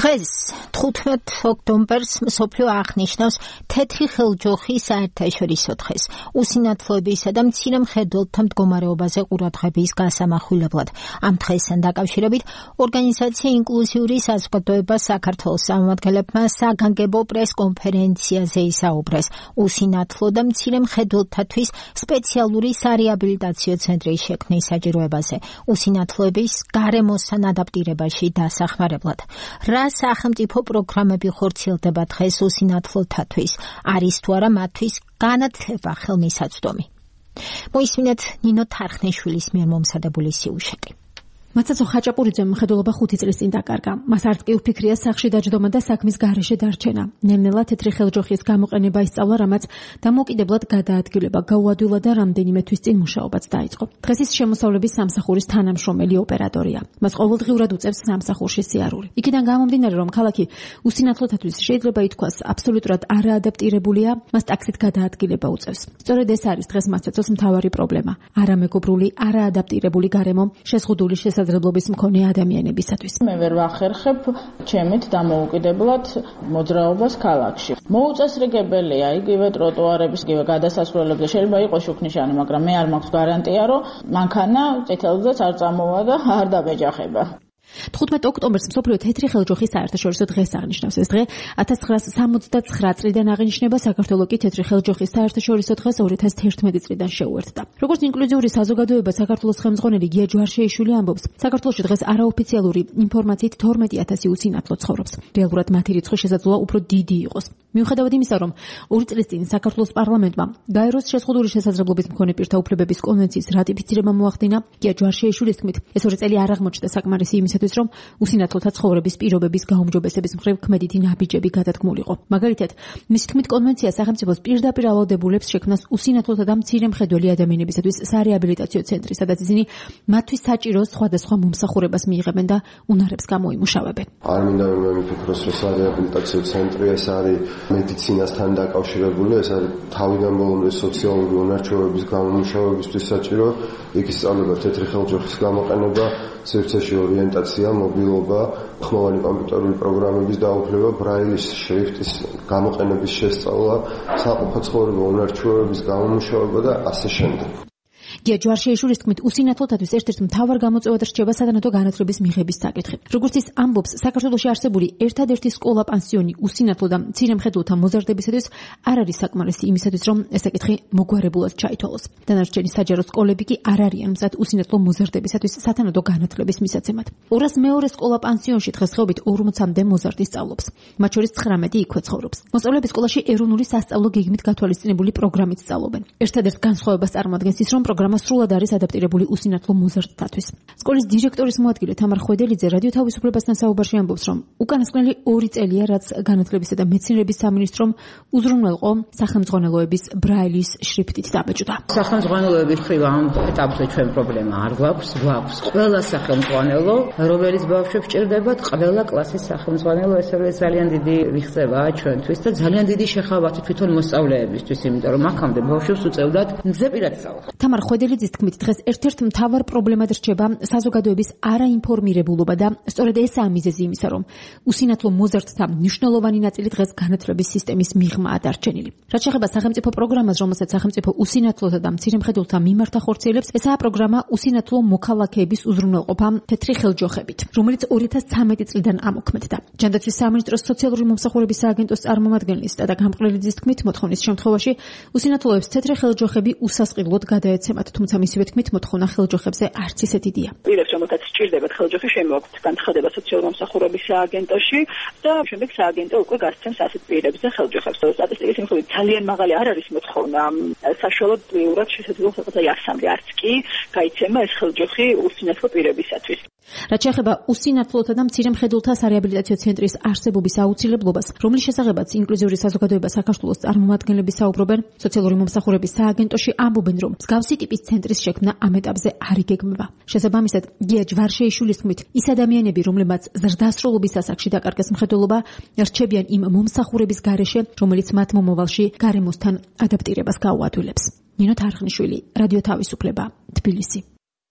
დღეს 15 ოქტომბერს მსოფლიო აღნიშნავს თეთრი ხელჯოხის საერთაშორისო დღეს. უსინათლოებისა და მცირე მხედველთა მდგომარეობაზე ყურადღების გასამახვილებლად. ამ დღესთან დაკავშირებით ორგანიზაცია ინკლუზიური საზოგადოება საქართველოს წარმომადგენლებმა საგანგებო პრესკონფერენციაზე ისაუბრეს უსინათლო და მცირე მხედველთათვის სპეციალური სარეაბილიტაციო ცენტრის შექმნის საჭიროებაზე. უსინათლოების გარემოსთან ადაპტირებაში დასახმარებლად. რა სახელმწიფო პროგრამები ხორციელდება დღეს უსინათლოთათვის? არის თუ არა მათთვის განათლება ხელმისაწვდომი? მოისმინეთ ნინო თარხნიშვილის მიერ მომზადებული სიუჟეტი. მაცაცო ხაჭაპურიძემ მხედველობა 5 წლის წინ დაკარგა. მას არც კი უფიქრია სახში დაჯდომა და საქმის გარეშე დარჩენა. ნელ-ნელა თეთრი ხელჯოხის გამოყენება ისწავლა, რამაც დამოუკიდებლად გადაადგილება გაუადვილა და რამდენიმე თვის წინ მუშაობაც დაიწყო. დღეს ის შემოსავლების სამსახურის თანამშრომელი ოპერატორია. მას ყოველდღიურად უწევს სამსახურში სიარული. იქიდან გამომდინარე, რომ ქალაქი უსინათლოთათვის შეიძლება ითქვას აბსოლუტურად არაადაპტირებულია, მას ტაქსით გადაადგილება უწევს. სწორედ ეს არის დღეს მაცაცოს მთავარი პრობლემა. არამეგობრული, არაადაპტირებული გარემო შეზღუდული შესაძლებლობის მქონე ადამიანებისათვის. მე ვერ ვახერხებ ჩემით დამოუკიდებლად მოძრაობას ქალაქში. მოუწესრიგებელია იგივე ტროტუარების, იგივე გადასასვლელებზე შეიძლება იყოს შუქნიშანი, მაგრამ მე არ მაქვს გარანტია, რომ მანქანა წითელზეც არ წამოვა და არ დამეჯახება. 15 ოქტომბერს მსოფლიო თეთრი ხელჯოხის საერთაშორისო დღეს აღნიშნავს. ეს დღე 1979 წლიდან აღინიშნება, საქართველოს კი თეთრი ხელჯოხის საერთაშორისო დღეს 2011 წლიდან შეუერთდა. როგორც ინკლუზიური საზოგადოება საქართველოს ხელმძღვანელი გია ჯვარშეიშვილი ამბობს, საქართველოში დღეს არაოფიციალური ინფორმაციით 12000 უსინათლო ცხოვრობს. რეალურად მათი რიცხვი შესაძლოა უფრო დიდი იყოს. მიუხედავად იმისა, რომ 2 წლის წინ საქართველოს პარლამენტმა გაეროს შეზღუდული შესაძლებლობის მქონე პირთა უფლებების კონვენციის რატიფიცირება მოახდინა, გია ჯვარშეიშვილის თქმით, ეს 2 წელი არ აღმოჩნდა საკმარისი იმისათვის, რომ უსინათლოთა ცხოვრების პირობების გაუმჯობესების მხრივ ქმედითი ნაბიჯები გადადგმულიყო. მაგალითად, მისი თქმით, კონვენცია სახელმწიფოს პირდაპირ ავალდებულებს შექმნას უსინათლოთა და მცირე მხედველი ადამიანებისათვის სარეაბილიტაციო ცენტრი, სადაც ისინი მათთვის საჭირო სხვადასხვა მომსახურებას მიიღებენ და უნარებს გამოიმუშავებენ. არ მინდა რომ მიფიქროს, რომ სარეაბილიტაციო ცენტრი ეს არის მედიცინასთან დაკავშირებული, ეს არის თავიდან ბოლომდე სოციალური უნარჩვევების გამომუშავებისთვის საჭირო. იქ ისწავლება თეთრი ხელჯოხის გამოყენება, სივრცეში ორიენტაცია, მობილობა, ხმოვანი კომპიუტერული პროგრამების დაუფლება, ბრაილის შრიფტის გამოყენების შესწავლა, საყოფო ცხოვრება, უნარჩვევების გამომუშავება და ასე შემდეგ. გია ჯვარშეიშვილის თქმით, უსინათლოთათვის ერთ-ერთ მთავარ გამოწვევად რჩება სათანადო განათლების მიღების საკითხი. როგორც ის ამბობს, საქართველოში არსებული ერთადერთი სკოლა-პანსიონი უსინათლო და მცირე მხედველთა მოზარდებისათვის არ არის საკმარისი იმისათვის, რომ ეს საკითხი მოგვარებულად ჩაითვალოს. დანარჩენი საჯარო სკოლები კი არ არიან მზად უსინათლო მოზარდებისათვის სათანადო განათლების მისაცემად. 202 სკოლა-პანსიონში დღესდღეობით 40-მდე მოზარდი სწავლობს. მათ შორის 19 იქვე ცხოვრობს. მოსწავლეები სკოლაში ეროვნული სასწავლო გეგმით გათვალისწინებული პროგრამით სწავლობენ. ერთადერთ განსხვავებას წარმოადგენს ის, რომ პროგრამა სრულად არის ადაპტირებული უსინათლო მოზარდთათვის. სკოლის დირექტორის მოადგილე თამარ ხვედელიძე რადიო თავისუფლებასთან საუბარში ამბობს, რომ უკანასკნელი 2 წელია, რაც განათლებისა და მეცნიერების სამინისტრომ უზრუნველყო სახელმძღვანელოების ბრაილის შრიფტით დაბეჭდა. სახელმძღვანელოების მხრივ ამ ეტაპზე ჩვენ პრობლემა არ გვაქვს. ყველა სახელმძღვანელო, რომელიც ბავშვებს ჭირდებათ, ყველა კლასის სახელმძღვანელო, ეს არის ძალიან დიდი რიხზებაა ჩვენთვის და ძალიან დიდი შეხავათი თვითონ მოსწავლეებისთვის, იმიტომ რომ აქამდე ბავშვებს უწევდათ მგზებირად სწავლა. თამარ ხვედელიძის თქმით, დღეს ერთ-ერთ მთავარ პრობლემად რჩება საზოგადოების არაინფორმირებულობა და სწორედ ესაა მიზეზი იმისა, რომ უსინათლო მოზარდთა მნიშვნელოვანი ნაწილი დღეს განათლების სისტემის მიღმაა დარჩენილი. რაც შეეხება სახელმწიფო პროგრამას, რომელსაც სახელმწიფო უსინათლოთა და მცირე მხედველთა მიმართ ახორციელებს, ესაა პროგრამა უსინათლო მოქალაქეების უზრუნველყოფა თეთრი ხელჯოხებით, რომელიც 2013 წლიდან ამოქმედდა. ჯანდაცვის სამინისტროს სოციალური მომსახურების სააგენტოს წარმომადგენლის სტადა გამყრელიძის თქმით, მოთხოვნის შემთხვევაში უსინათლოებს თეთრი ხელჯოხები უსასყიდლოდ გადაეცემათ, თუმცა მისივე თქმით, მოთხოვნა ხელჯოხებზე არც ისე დიდია. პირებს, რომელთაც სჭირდებათ ხელჯოხი, შემოაქვთ განცხადება სოციალური მომსახურების სააგენტოში და შემდეგ სააგენტო უკვე გასცემს ასეთ პირებზე ხელჯოხებს. სტატისტიკის მიხედვით ძალიან მაღალი არ არის მოთხოვნა. საშუალოდ ლიურად შესაძლოა რაღაცა 100-მდე არც კი გაიცემა ეს ხელჯოხი უსინათლო პირებისათვის. რაც შეეხება უსინათლოთა და მცირე მხედველთა სარეაბილიტაციო ცენტრის არსებობის აუცილებლობას, რომლის შესახებაც ინკლუზიური საზოგადოება საქართველოს წარმომადგენლები საუბრობენ, სოციალური მომსახურების სააგენტოში ამბობენ, რომ მსგავსი ტიპის ცენტრის შექმნა ამ ეტაპზე არ იგეგმება. შესაბამისად, გია ჯვარშეიშვილის თქმით, ის ადამიანები, რომლებმაც ზრდასრულობის ასაკში დაკარგეს მხედველობა, რჩებიან იმ მომსახურების გარეშე, რომელიც მათ მომავალში გარემოსთან ადაპტირებას გაუადვილებს. ნინო თარხნიშვილი, რადიო თავისუფლება, თბილისი.